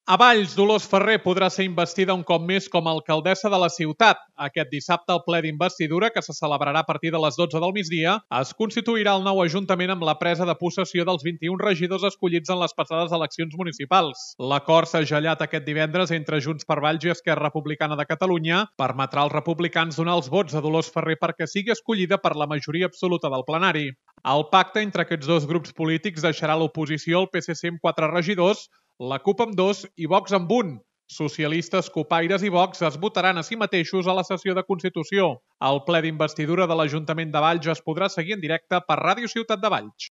A Valls, Dolors Ferrer podrà ser investida un cop més com a alcaldessa de la ciutat. Aquest dissabte, el ple d'investidura, que se celebrarà a partir de les 12 del migdia, es constituirà el nou ajuntament amb la presa de possessió dels 21 regidors escollits en les passades eleccions municipals. L'acord s'ha gellat aquest divendres entre Junts per Valls i Esquerra Republicana de Catalunya permetrà als republicans donar els vots a Dolors Ferrer perquè sigui escollida per la majoria absoluta del plenari. El pacte entre aquests dos grups polítics deixarà l'oposició al PSC amb 4 regidors, la CUP amb 2 i Vox amb 1. Socialistes, Cupaires i Vox es votaran a si mateixos a la sessió de Constitució. El ple d'investidura de l'Ajuntament de Valls es podrà seguir en directe per Ràdio Ciutat de Valls.